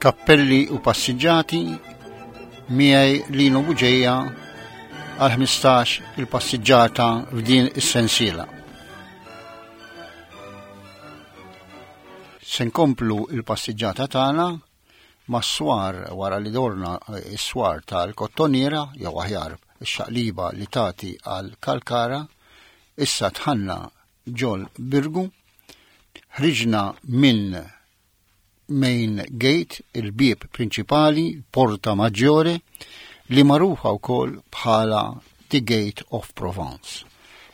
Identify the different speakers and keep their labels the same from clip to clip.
Speaker 1: Kappelli u passiġġati miegħi Lino Buġeja għal 15 il-passiġġata f'din is-sensiela. Se nkomplu il-passiġġata tagħna mas-swar wara li dorna s-swar tal-Kottoniera jew aħjar ix-xaqliba li tagħti għal Kalkara, issa tħanna ġol Birgu, ħriġna minn main gate, il-bieb prinċipali, Porta Maggiore, li magħrufa wkoll bħala The Gate of Provence,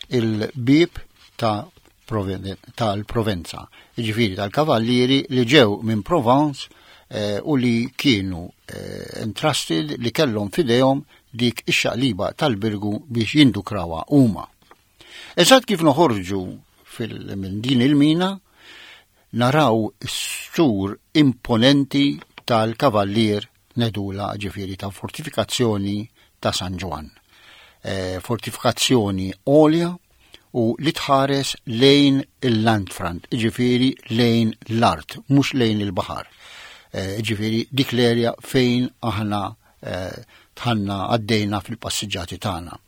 Speaker 1: il-bieb ta' tal-Provenza, ġifiri tal-kavallieri li ġew minn Provence eh, u li kienu eh, entrusted li kellhom fidejhom dik ix-xaqliba tal-birgu biex jindukrawha huma. Eżatt kif noħorġu minn din il-mina, naraw is-sur imponenti tal-kavallier Nedula ġifieri ta' fortifikazzjoni ta' San Ġwann. E, fortifikazzjoni għolja u li tħares lejn il-landfront, ġifieri lejn l-art, mhux lejn il-baħar. E, ġifieri dik l-erja fejn aħna eh, tħanna għaddejna fil-passiġġati tagħna.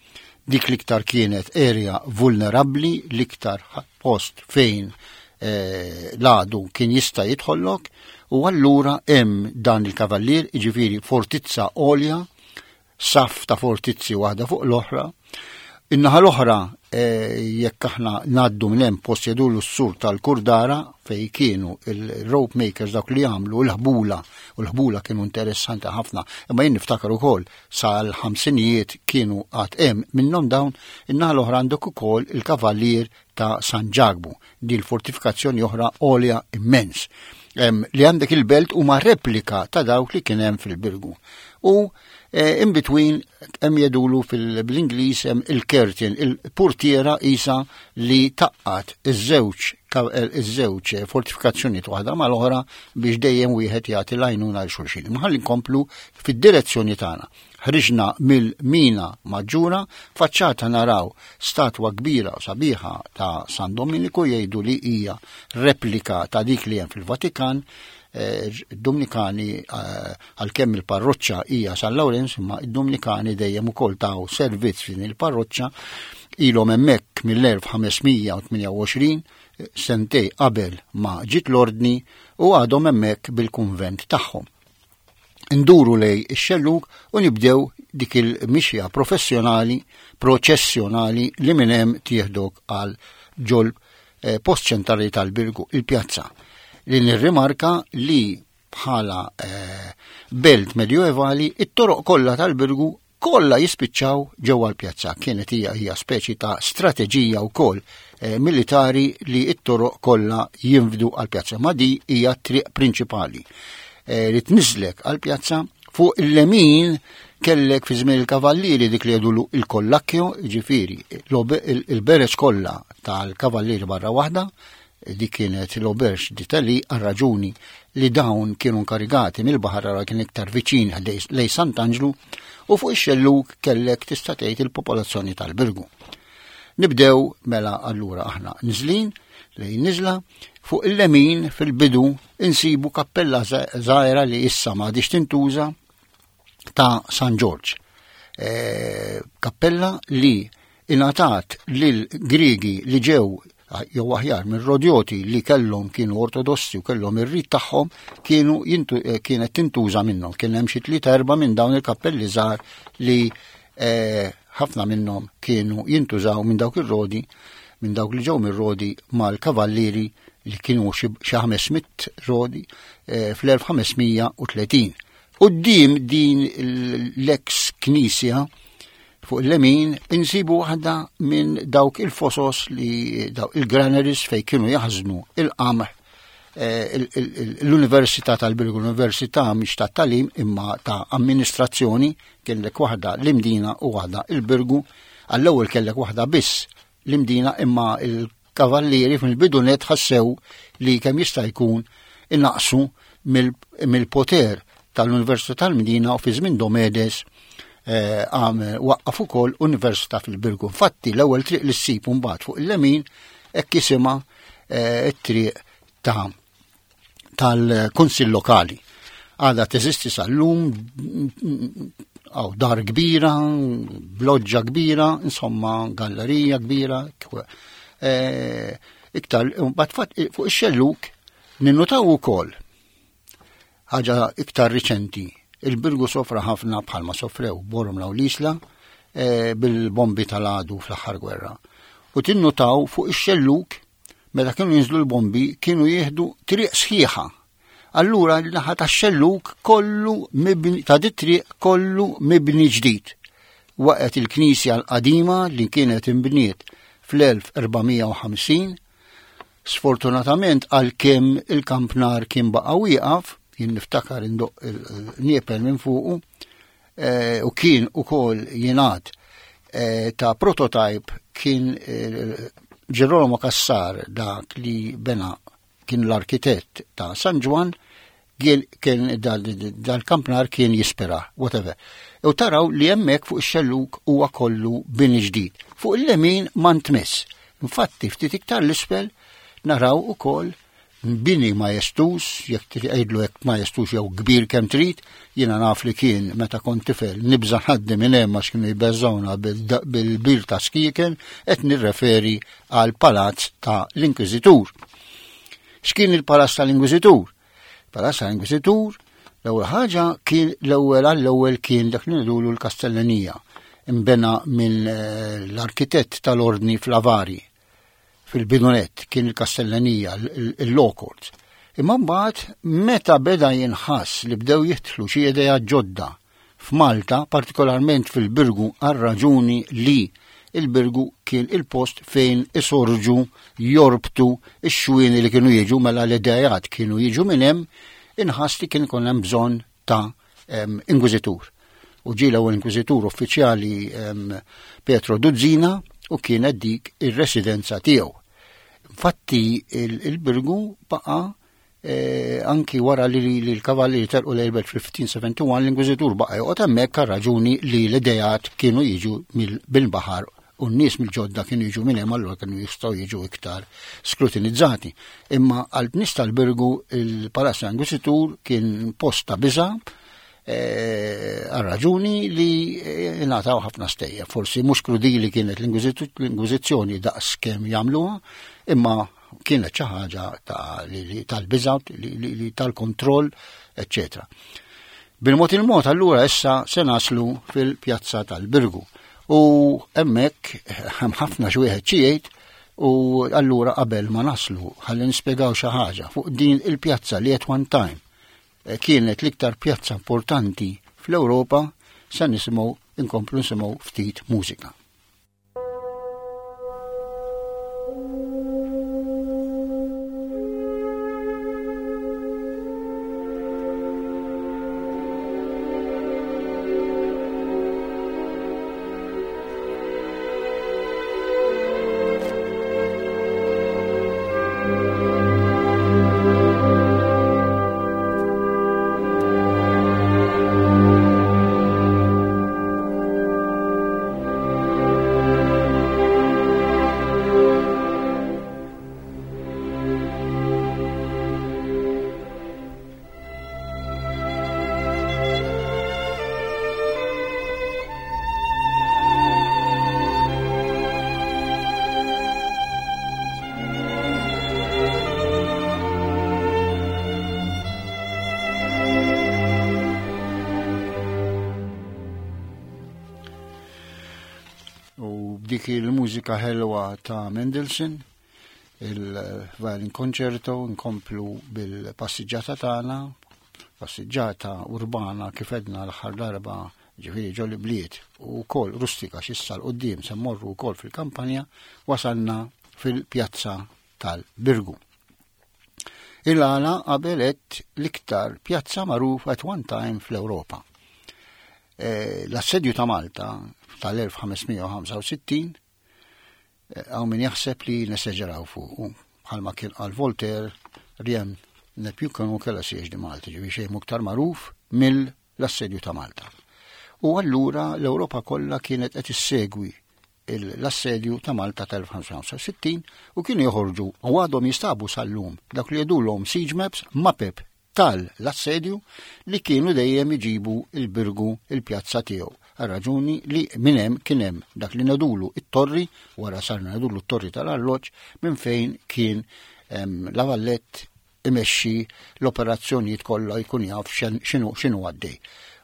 Speaker 1: Dik l-iktar kienet area vulnerabbli, l-iktar post fejn eh, l-għadu kien jista' jidħollok u allura hemm dan il-kavallier, jiġifieri fortizza għolja, saf ta' fortizzi waħda fuq l-oħra. In-naħa l-oħra eh, jekk aħna ngħaddu minn hemm post jedulu s-sur tal-Kurdara fej kienu il-rope makers dawk li għamlu l-ħbula u l-ħbula kienu interessanti ħafna imma jien niftakar ukoll sal-ħamsinijiet kienu għad hemm minnhom dawn in-naħa l-oħra għandek ukoll il-kavallier ta' San Ġakbu, di l-fortifikazzjoni oħra għolja immens. Li għandek il-belt huma replika ta' dawk li kien hemm fil-Birgu. U eh, in between hemm jedulu fil-Ingliż hemm il-curtain, il-portiera isa li taqqat iż-żewġ eh, iż-żewġ fortifikazzjonijiet waħda mal-oħra biex dejjem wieħed jagħti l-għajnuna għal xulxin. Imma ħalli nkomplu fid-direzzjoni tagħna. Ħriġna mill-Mina Maġġura, faċċata naraw statwa kbira u sabiħa ta' San Dominiku jgħidu li hija replika ta' dik li hemm fil-Vatikan. Eh, Dominikani eh, għalkemm il-parroċċa hija San Lawrenz, imma id-Dominikani dejjem ukoll taw servizz f'din il-parroċċa ilhom hemmhekk mill-1528 sentej qabel ma ġiet l-ordni u għadhom hemmhekk bil-kunvent tagħhom. Nduru lej ix-xellug u nibdew dik il-mixja professjonali, proċessjonali li minn hemm tieħdok għal ġol eh, post ċentrali tal-Birgu, il-pjazza. Li nirrimarka li bħala eh, belt medjoevali it-toroq kollha tal-Birgu kollha jispiċċaw ġewwa l-pjazza. Kienet hija hija speċi ta' strateġija wkoll eh, militari li t-toroq kollha jinfdu għall-pjazza. Ma di hija t-triq prinċipali eh, li tniżlek għall-pjazza fuq il-lemin kellek fi żmien il-kavallieri dik li jgħidulu il-kollakkjo, ġifieri il-bereġ kollha tal-kavallieri barra waħda, Dik kienet l-Auberge d'Italie għal raġuni li dawn kienu nkarigati mill-baħar għal kien iktar viċin lej Sant'Anġlu u fuq ix-xellug kellek tista' tgħid il-popolazzjoni tal-Birgu. Nibdew mela allura aħna nżlin lejn niżla fuq il-lemin fil-bidu insibu kappella żgħira li issa m'għadix tintuża ta' San Ġorġ. E, kappella li ingħatat lil Griegi li ġew jew aħjar minn Rodjoti li kellhom kienu ortodossi u kellhom ir-rit tagħhom kienu jintu, eh, kienet tintuża minnhom. Kien hemm xi tliet erba' minn dawn il-kappelli żgħar li eh, ħafna minnhom kienu jintużaw minn dawk ir-rodi minn dawk li ġew mir-rodi mal-kavallieri li kienu xi 500 rodi eh, fl-1530. Quddiem din l-eks knisja fuq il-lemin insibu waħda minn dawk il-fosos li dawk il-granaries fej kienu jaħżnu il-qamħ eh, l-Università tal-Birgu, l-Università mhix ta' talim imma ta' amministrazzjoni kellek waħda l-Imdina u waħda il-Birgu. Għall-ewwel kellek waħda biss l-Imdina imma il-kavallieri fil-bidu net ħassew li kemm jista' jkun innaqsu mill-poter tal-Università tal-Mdina u fi żmien Domedes eh, għamel waqqaf ukoll Università fil-Birgu. Infatti l-ewwel triq li ssib mbagħad fuq il-lemin hekk jisimha eh, it-triq ta' tal-Kunsill Lokali. Għadha teżisti sal-lum, għaw dar kbira, bloġġa kbira, insomma, gallerija kbira. E, iktar, bat fuq ix-xelluk ninnutaw ukoll ħaġa iktar riċenti. Il-Birgu sofra ħafna bħalma sofrew Bormla u l-Isla e, bil-bombi tal-għadu fl-aħħar gwerra. U tinnutaw fuq ix-xelluk meta kienu jinżlu l-bombi kienu jieħdu triq sħiħa Allura l-naħa tax-xellug kollu mibni ta' dit-triq kollu mibni ġdid. Waqgħet il-knisja l-qadima li kienet imbniet fl-1450. Sfortunatament għalkemm il-kampnar kien baqa' wieqaf, jien niftakar indoq il-niepel minn fuqu, eh, u kien ukoll jingħad eh, ta' prototype kien eh, Ġerolamo Cassar dak li bena kien l-arkitett ta' San Ġwann, kien dal-kampnar kien jispira, whatever. U taraw li hemmhekk fuq ix-xellug huwa kollu bini ġdid. Fuq il-lemin ma ntmiss. Infatti ftit iktar l-isfel naraw ukoll bini majestuż, jekk tgħidlu hekk majestuż jew kbir kemm trid, jiena naf li kien meta kont tifel nibża' ħaddi minn hemm għax kienu jbeżżgħuna bil-bir ta' skieken, qed nirreferi għal palazz ta' l-Inkwiżitur. X'kien il-palazz tal-Inkwiżitur? Palazz tal-Inkwiżitur l-ewwel ħaġa kien l-ewwel għall-ewwel kien dak li ngħidulu l-Kastellanija imbena minn eh, l-arkitett tal-ordni Flavari fil-bidunet kien il-Kastellanija, il-Law Courts. Imma mbagħad meta beda jinħass li bdew jidħlu xi idea ġodda f'Malta, partikolarment fil-Birgu għar-raġuni li il-Birgu kien il-post fejn isorġu jorbtu x-xwieni li kienu jiġu mela l-idejat kienu jiġu minn hemm, inħass li kien ikun hemm bżonn ta' inkwiżitur. U ġie l-ewwel inkwiżitur uffiċjali Pietro Duzzina u kienet dik ir-residenza tiegħu. Infatti il-Birgu baqa' Eh, anki wara li l-kavallieri telqu lejn il-belt fil-1571 l-Inkwiżitur baqa' joqgħod hemmhekk għal raġuni li l-idejat kienu jiġu bil-baħar u n-nies mill-ġodda kienu jiġu minn hemm allura kienu jistgħu jiġu iktar skrutinizzati. Imma għal nies tal-Birgu il-Palazzo Inkwiżitur kien post ta' biża' eh, għal raġuni li eh, ngħataw ħafna stejjer. Forsi mhux krudili kienet l-Inkwiżizzjoni daqs kemm jagħmluha, imma kienet xi ħaġa tal-biża' tal-kontroll, eċċetera. Bil-mod il-mod allura issa se naslu fil-pjazza tal-Birgu. U hemmhekk hemm ħafna xi wieħed xi jgħid u allura qabel ma naslu ħalli nispjegaw xi ħaġa fuq din il-pjazza li at one time eh, kienet l-iktar pjazza importanti fl-Ewropa se nisimgħu inkomplu nisimgħu ftit mużika. U b'dik il-mużika ħelwa ta' Mendelssohn, il-Violin Concerto, nkomplu bil-passiġġata tagħna, passiġġata urbana kif edna l-aħħar darba ġifieri ġol bliet u wkoll rustika x'issa l-qudiem se mmorru wkoll fil-kampanja, wasalna fil-pjazza tal-Birgu. Il-għala qabel għedt l-iktar pjazza magħruf at one time fl-Ewropa. Eh, l-assedju ta' Malta tal-1565 eh, għaw min jaħseb li neseġeraw fuq bħalma kien għal Voltaire rien ne più connu que la siège di Malta, ġivi xejn iktar magħruf mill-assedju ta' Malta. U allura l-Ewropa kollha kienet qed issegwi l-assedju ta' Malta tal-1565 u kienu joħorġu u għadhom jistabu sal-lum dak li jgħidulhom siege maps, mapep. tal-assedju li kienu dejjem iġibu il-Birgu il-pjazza tiegħu. Għal-raġuni li minn hemm kien hemm dak li ngħidulu it-torri, wara sarna ngħidulu t-torri tal-arloġġ, minn fejn kien La Vallette imexxi l-operazzjonijiet kollha jkun jaf x'inhu x'inhu għaddej.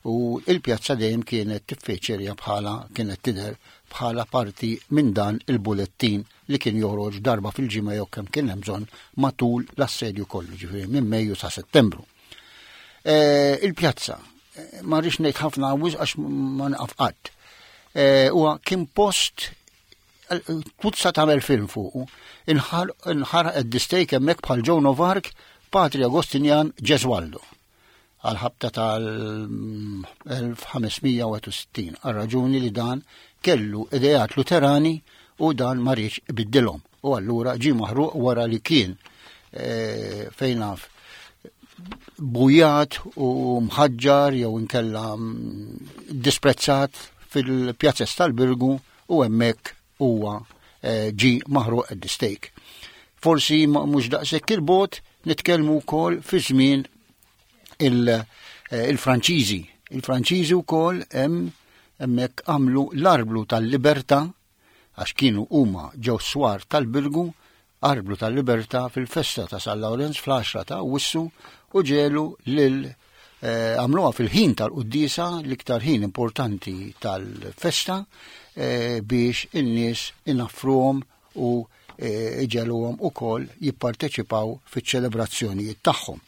Speaker 1: U il-pjazza dejjem kienet tiffeċerja bħala kienet tidher bħala parti minn dan il-bulettin li kien joħroġ darba fil-ġimgħa jew kemm kien hemm bżonn matul l-assedju kollu, ġifieri minn Mejju sa Settembru. Eh, il-pjazza, eh, ma rridx ngħid ħafna wisq għax ma naqaf qatt. Eh, huwa kien post tuzza tagħmel film fuqu. Inħaraq id-distejk hemmhekk bħal Joan of Arc, Patri Agostinjan Ġeswaldo għal-ħabta tal-1561 għal raġuni li dan kellu idejat Luterani u dan ma riedx ibiddilhom. U allura ġie maħruq wara li kien eh, fejn naf bujat u mħaġġar jew inkella mm, disprezzat fil-pjazzess tal-Birgu u hemmhekk huwa eh, ġi maħruq at the stake. Forsi mhux daqshekk il-bot nitkellmu wkoll fi żmien eh, il-Franċiżi. Il-Franċiżi wkoll hemm hemmhekk għamlu l-arblu tal-libertà għax kienu huma ġew swar tal-Birgu arblu tal-libertà fil-festa ta' San Lawrenz fl-10 ta' Awwissu u ġelu lil eh, għamluha fil-ħin tal-quddiesa l-iktar ħin importanti tal-festa eh, biex in-nies inaffruhom u eh, iġeluhom ukoll jipparteċipaw fiċ-ċelebrazzjonijiet tagħhom.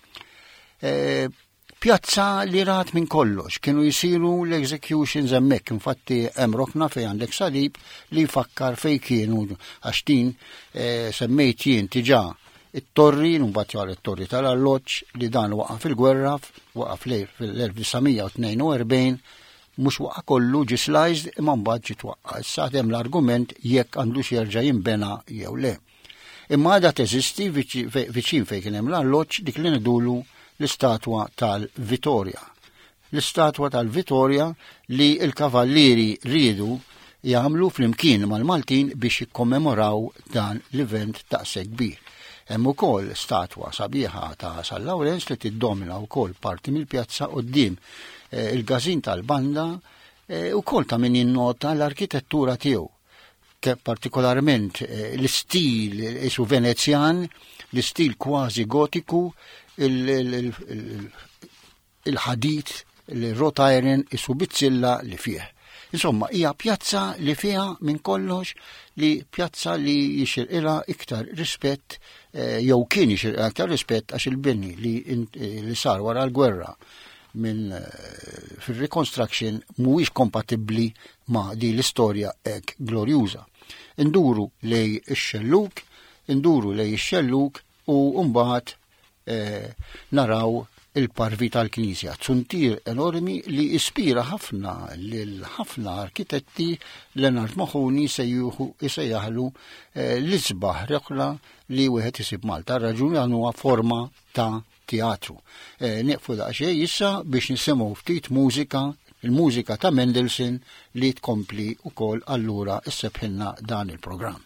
Speaker 1: Pjazza li rat minn kollox, kienu jisiru l-executions hemmhekk, infatti hemm rokna fejn għandek salib li jfakkar fejn kienu għax din eh, semmejt jien tiġà it-torri, mbagħad jgħal it-torri tal-alloġġ li dan waqa' fil-gwerra, waqa' fl-1942, mhux waqa' kollu ġi sliced imma mbagħad ġi twaqqa'. Issa hemm l-argument jekk għandux jerġa' jinbena jew le. Imma għadha teżisti viċin fejn kien hemm l-alloġġ dik li ngħidulu l-istatwa tal-Vitorja. L-istatwa tal-Vitorja li l-kavallieri riedu jagħmlu flimkien mal-Maltin biex jikkommemoraw dan l-event daqshekk kbir. Hemm ukoll statwa sabiħa ta' San Lawrenz li tiddomina wkoll parti mill-pjazza quddiem eh, il-każin tal-banda eh, ukoll ta' min jinnota l-arkitettura tiegħu partikolarment eh, l-istil isu Venezjan, l-istil kważi gotiku, il-ħadid, il-wrought iron isu bizzilla li fih. Insomma, hija pjazza li fiha minn kollox li pjazza li jixirqilha iktar rispett eh, jew kien jixirqilha iktar rispett għax il-bini li, eh, li sar wara l-gwerra minn fil-reconstruction mhuwiex kompatibbli ma' din l-istorja hekk glorjuża. Induru lej ix-xellug, induru lej ix-xellug u mbagħad eh, naraw il-parvi tal-Knisja, zuntier enormi li ispira ħafna lil ħafna arkitetti Leonard Moħuni sejjuħu isejjaħlu eh, l-isbaħ reqla li wieħed isib Malta. Raġuni għan huwa forma ta' teatru. Eh, nieqfu daqsxejn issa biex nisimgħu ftit mużika, il-mużika ta' Mendelssohn li tkompli wkoll allura issebħilna dan il-programm.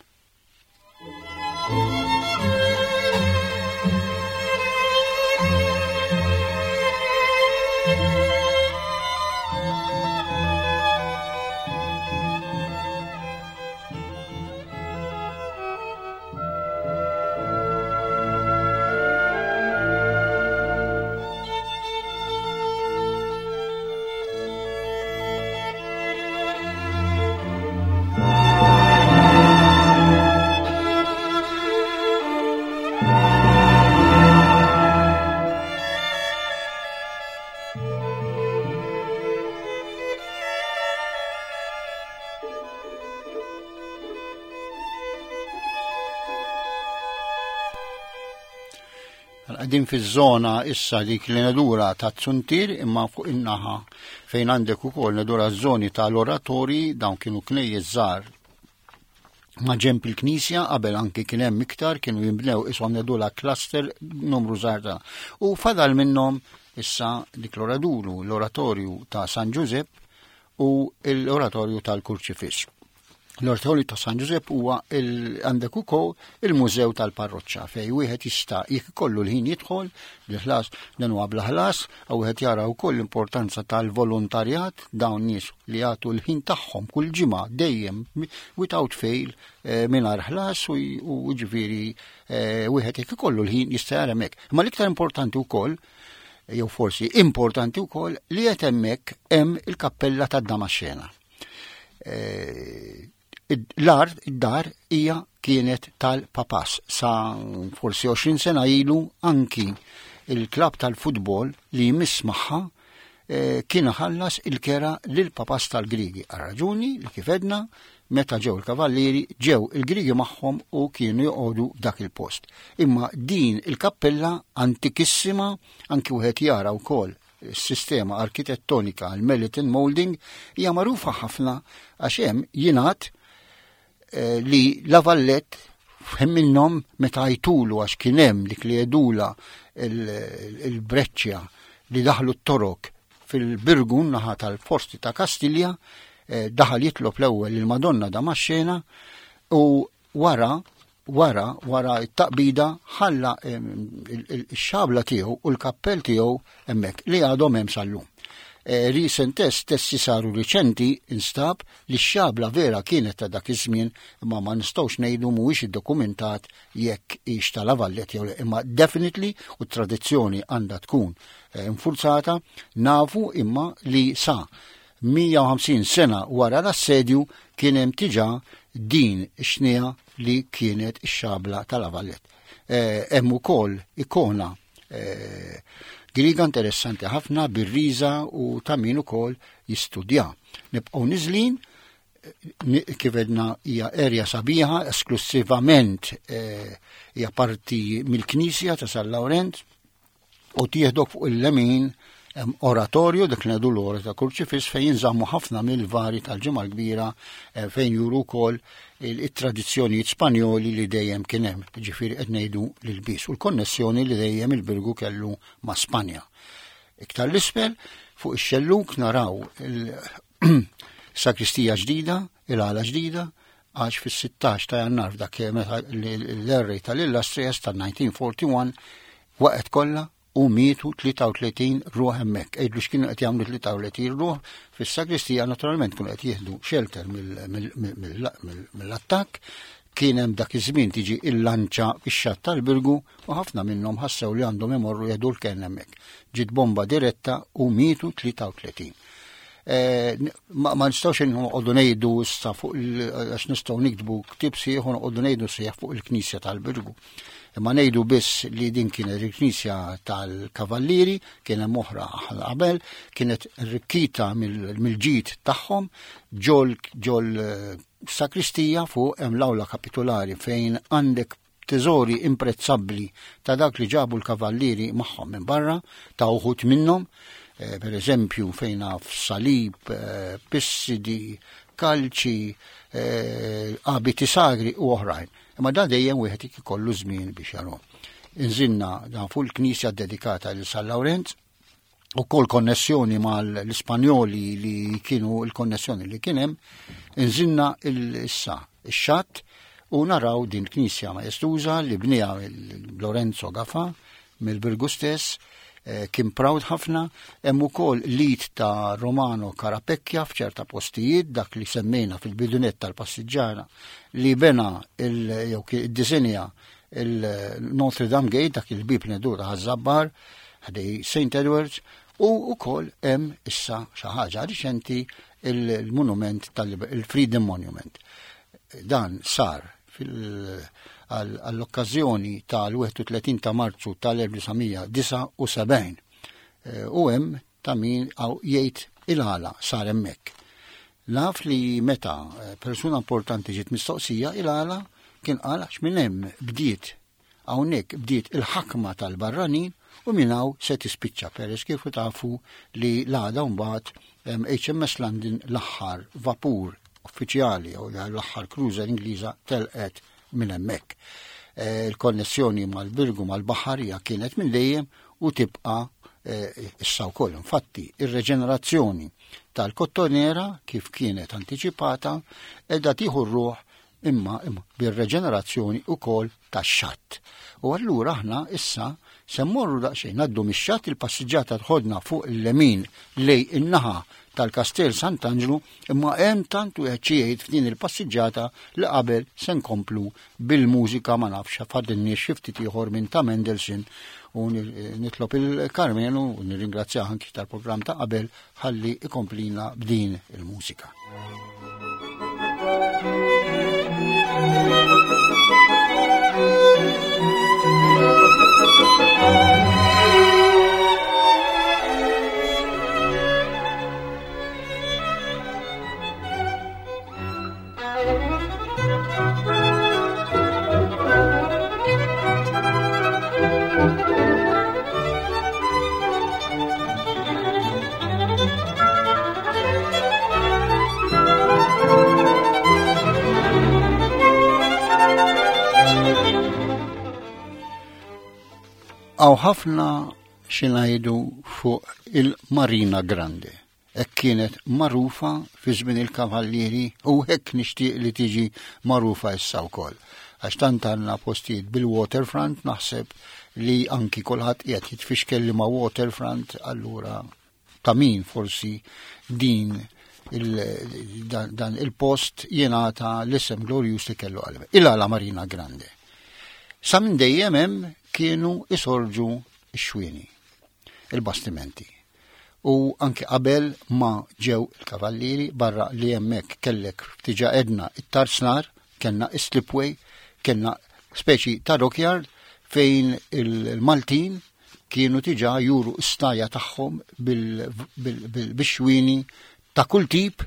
Speaker 1: Għadin fiż-żona issa dik li nedura ta' Zuntir imma fuq in-naħa fejn għandek ukoll nedura żoni tal-oratorji dawn kienu knejjes żgħar ma' ġemp il-knisja qabel anki kien hemm iktar kienu jinbnew ishom nedula cluster numru żgħar ta' u fadal minnhom issa dik l-oraduru l-oratorju ta' San Ġużepp u l-oratorju tal-Kurċifiss. L-Ortoli ta' San Ġużepp huwa għandek ukoll il-Mużew tal-Parroċċa fejn wieħed jista' jekk ikollu l-ħin jidħol bil-ħlas dan huwa bla ħlas u wieħed jara wkoll l-importanza tal-volontarjat dawn nies li jagħtu l-ħin tagħhom kull ġimgħa dejjem without fail eh, mingħajr ħlas u ġifieri eh, wieħed jekk ikollu l-ħin jista' jara hemmhekk. Imma l-iktar importanti wkoll jew forsi importanti wkoll li qed hemmhekk hemm il-kappella tad-Damaxxena. Eh, l-art, id-dar hija kienet tal-papas sa forsi 20 sena ilu anki il-klab tal-futbol li jmiss magħha eh, kien ħallas il-kera lil papas tal-Grigi. Għal-raġuni li kif edna, meta ġew il-kavallieri, ġew il-Grigi magħhom u kienu joqogħdu f'dak il-post. Imma din il-kappella antikissima anki wieħed jara wkoll Is-sistema arkitettonika l-Meliton Moulding hija magħrufa ħafna għax hemm jingħad eh, li La Vallette f'ħin minnhom meta jtulu għax kien hemm dik li jedula il-breċċja li daħlu t-torok fil-Birgu naħa tal-forsti ta' Kastilja, eh, daħal jitlob l-ewwel il-Madonna Damaxxena u Wara, wara, wara t-taqbida ħalla x-xabla tiegħu u l-kappell tiegħu hemmhekk li għadhom hemm sal-lum. E, recent test, testi saru riċenti, instab li x-xabla vera kienet ta' dak iż-żmien, imma ma nistgħux ngħidu mhuwiex iddokumentat jekk hix ta' La Vallette jew le, imma definitely u t-tradizzjoni għandha tkun eh, infurzata, nafu imma li sa 150 sena wara l-assedju kien hemm diġà din ix-xniegħa li kienet ix-xabla ta' La Vallette. Eh, hemm ukoll ikona eh, Griega interessanti ħafna bir-riża u ta' min ukoll jistudja. Nibqgħu niżlin eh, kif edna hija erja sabiħa esklusivament hija parti mill-Knisja ta' San Lawrenz u tieħdok fuq il-lemin hemm oratorju dak li ngħidu l-ora ta' Kurċifiss fejn jinżammu ħafna mill-vari tal-Ġimgħa l-Kbira eh, fejn juru wkoll it-tradizzjonijiet Spanjoli li dejjem kien hemm, ġifieri qed ngħidu l-bies u l-konnessjoni li dejjem il-Birgu kellu ma' Spanja. Iktar l-isfel fuq ix-xelluk naraw il-sakristija ġdida, il-għala ġdida, għax fis-16 ta' Jannar f'dak meta l-errej tal-Illustrious tal-1941 waqgħet kollha u mietu 33 ruħ hemmhekk. Għidlu x'kienu qed jagħmlu 33 ruħ fis-sagristija naturalment kienu qed jieħdu shelter mill-attakk. Kien hemm dak iż-żmien tiġi il-lanċa fix-xatt tal-Birgu u ħafna minnhom ħassew li għandhom imorru jieħdu l-kenn hemmhekk. Ġiet bomba diretta u mietu 33. Eh, ma nistgħux noqogħdu ngħidu issa fuq għax nistgħu niktbu ktieb sieħ u noqogħdu ngħidu sieħ fuq il-Knisja tal-Birgu. Imma ngħidu biss li din kienet il-Knisja tal-Kavallieri, kien hemm oħra qabel, kienet rikkita mill-ġid tagħhom ġol ġol eh, sakristija fuq hemm l-awla kapitulari fejn għandek teżori imprezzabbli ta' dak li ġabu l-kavallieri magħhom minn barra, ta' uħud minnhom, eh, per eżempju fejn naf salib, eh, pissidi, kalċi, eh, abiti sagri u oħrajn. Imma da dejjem wieħed ikollu żmien biex jarhom. Inżinna dan fuq il-knisja dedikata lil San Lawrenz, u kol konnessjoni mal-Ispanjoli li kienu il-konnessjoni li kienem, nżinna il-issa ix-xatt u naraw din knisja maestuża li bnija Lorenzo Gafa mill-Birgu stess, eh, kien proud ħafna, hemm ukoll lit ta' Romano Carapecchia f'ċerta postijiet dak li semmejna fil-bidunet tal-passiġġara li bena il jew iddisinja il-Notre Dame Gate dak il-bib li dur ħaż-Żabbar ħdej St. Edwards u wkoll hemm issa xi ħaġa riċenti il-monument tal-Freedom Monument. Dan sar għall-okkażjoni tal-31 ta' Marzu tal-1979 eh, u hemm ta' min jgħid il-għala sar hemmhekk. Naf li meta eh, persuna importanti ġiet mistoqsija il-għala kien qal għax minn hemm bdiet Hawnhekk bdiet il-ħakma tal-barranin u minn hawn se tispiċċa peress kif tafu li l-għada mbagħad HMS London l-aħħar vapur uffiċjali jew l-aħħar cruiser Ingliża telqet minn hemmhekk. Eh, il-konnessjoni mal-Birgu mal-baħar hija kienet minn dejjem u tibqa' eh, issa wkoll. Infatti, ir-reġenerazzjoni tal-Kottonera kif kienet antiċipata qiegħda tieħu r-ruħ imma bir-reġenerazzjoni wkoll tax-xatt. U allura aħna issa se mmorru daqsxejn ngħaddu mix-xatt il-passiġġata tħodna fuq il-lemin lej in-naħa tal-Kastell Sant'Anġlu imma hemm tant wieħed xi jgħid f'din il-passiġġata li qabel se nkomplu bil-mużika ma nafx fadilniex xi ftit ieħor minn ta' Mendelssohn u nitlob il-Karmenu u nirringrazzjah anki tal-programm ta' qabel ħalli ikomplina b'din il-mużika. Għaw ħafna xinajdu fuq il-Marina Grande. Hekk kienet magħrufa fi żmien il-Kavallieri u hekk nixtieq li tiġi magħrufa issa wkoll. Għax tant għandna postijiet bil-waterfront naħseb li anki kulħadd qiegħed jitfixkel li ma' waterfront allura ta' min forsi din il, dan, dan il-post jingħata l-isem glorjus li kellu qalbi. Il-għala Marina Grande. Sa minn dejjem hemm kienu isorġu x-xwieni, il-bastimenti. U anki qabel ma ġew il-kavallieri barra li hemmhekk kellek diġà għedna it-tarsnar, kellna is-slipway, kellna speċi ta' dockyard fejn il-Maltin kienu diġà juru s-staja tagħhom bil-xwieni ta' kull tip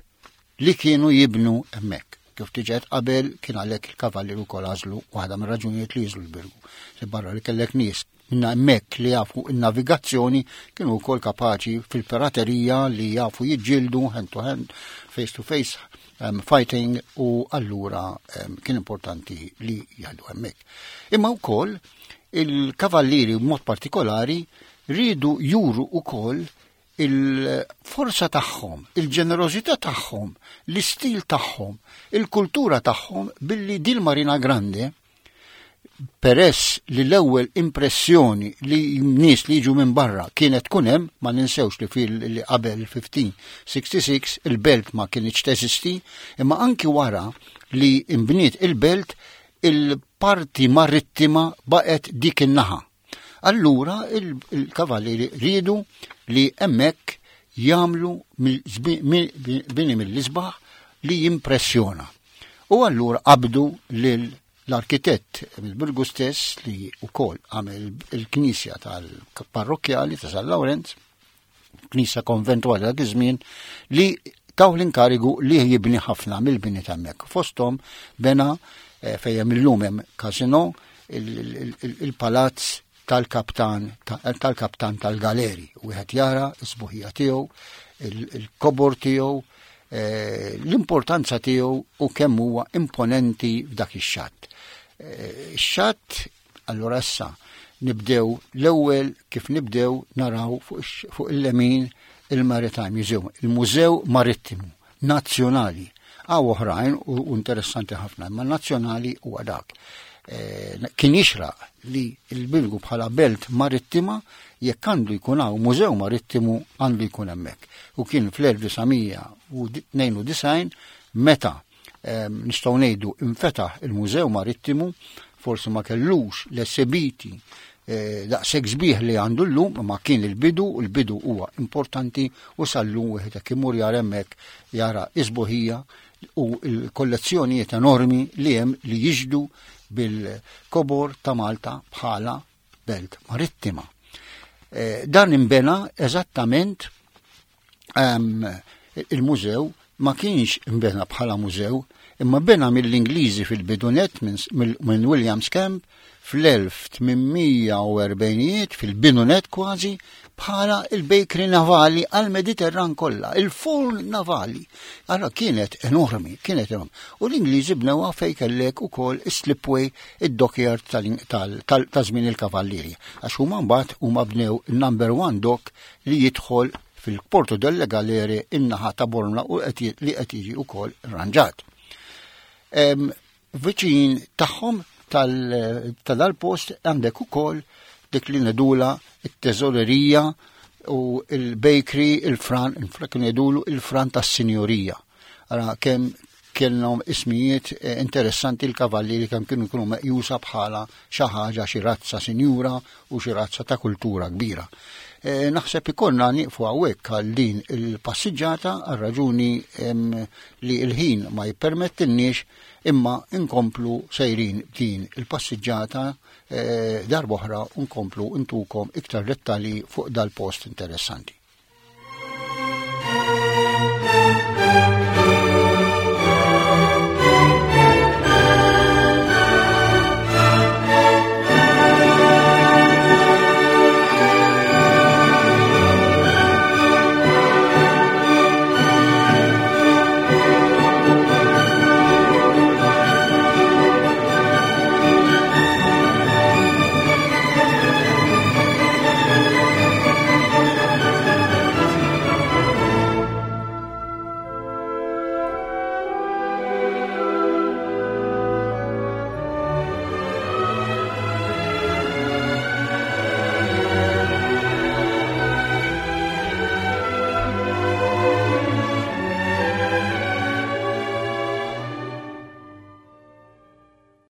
Speaker 1: li kienu jibnu hemmhekk. Kif diġà qabel kien għalhekk il-kavallieri wkoll għażlu waħda mir-raġunijiet li jiżlu l-Birgu. Li barra li kellek nies minna hemmhekk li jafu n-navigazzjoni kienu wkoll kapaċi fil-piraterija li jafu jiġġieldu hand to hand, face to face um, fighting u allura um, kien importanti li jgħaddu hemmhekk. Imma wkoll il-kavallieri b'mod partikolari rridu juru wkoll il-forza tagħhom, il-ġenerożità tagħhom, l-istil tagħhom, il-kultura tagħhom billi dil Marina Grande peress li l-ewwel impressjoni li nies li jiġu minn barra kienet tkun hemm, ma ninsewx li fil li qabel 1566 il-belt ma kienx teżisti, imma anki wara li imbniet il-belt il-parti marittima baqgħet dik in-naħa. Allura il-kavallieri riedu li hemmhekk jagħmlu bini mill-isbaħ li jimpressjona. U allura qabdu lil l-arkitett mill-Birgu stess li wkoll għamel il-knisja tal-parrokkjali ta' San Lawrenz, knisja konventwali dak iż-żmien, li taw l-inkarigu li jibni ħafna mill-bini ta' hemmhekk. Fosthom bena eh, fejn hemm illum hemm casino il-palazz tal-kaptan tal-kaptan tal-galeri. Wieħed jara s-sbuħija tiegħu, il-kobor tiegħu, eh, l-importanza tiegħu u kemm huwa imponenti f'dak ix-xatt. Eh, ix-xatt allura issa nibdew l-ewwel kif nibdew naraw fuq il-lemin il-Maritime Museum, il-Mużew Marittimu Nazzjonali. Għaw oħrajn u interessanti ħafna, imma nazzjonali huwa dak. Eh, kien jixraq li l-Birgu bħala belt marittima jekk għandu jkun hawn mużew marittimu għandu jkun hemmhekk. U kien fl-1992 meta ehm, nistgħu ngħidu infetaħ il-Mużew Marittimu, forsi ma kellux l-esebiti eh, daqshekk sbieħ li għandu llum, ma kien il-bidu, u l-bidu huwa importanti u sal-lum wieħed hekk imur jara hemmhekk jara isbuħija u l-kollezzjonijiet enormi li hemm li jiġdu bil-kobor ta' Malta bħala belt marittima. Eh, dan imbena eżattament ehm, il-mużew ma kienx imbena bħala mużew, Imma bena mill-Ingliżi fil-bidunet minn Williams Camp fl-1840ijiet fil-bidunet kważi bħala il-bakery navali għal-Mediterran kollha, il-forn navali. Allora kienet enormi, kienet enormi. U l-Ingliżi bnewha fejn kellek ukoll is-slipway id-dockyard ta' żmien il-kavallieri. Għax huma mbagħad huma bnew number one dock li jidħol fil-Porto delle Galere in-naħa ta' Bormla u li qed jiġi wkoll rranġat. Viċin tagħhom ta' dal-post għandek ukoll dik li nedula it-teżorerija u il-bakery, il-fran, il-fran nedulu il-fran tas-sinjorija. Ara kemm kellhom ismijiet eh, interessanti l-kavalli li kemm kienu jkunu meqjusa bħala xi ħaġa xi razza sinjura u xi razza ta' kultura kbira. Eh, naħseb ikollna nieqfu hawnhekk għal din il-passiġġata għal raġuni li l-ħin ma jippermettilniex imma nkomplu sejrin din il-passiġġata eh, darb'oħra nkomplu ntukom iktar dettalji fuq dal-post interessanti.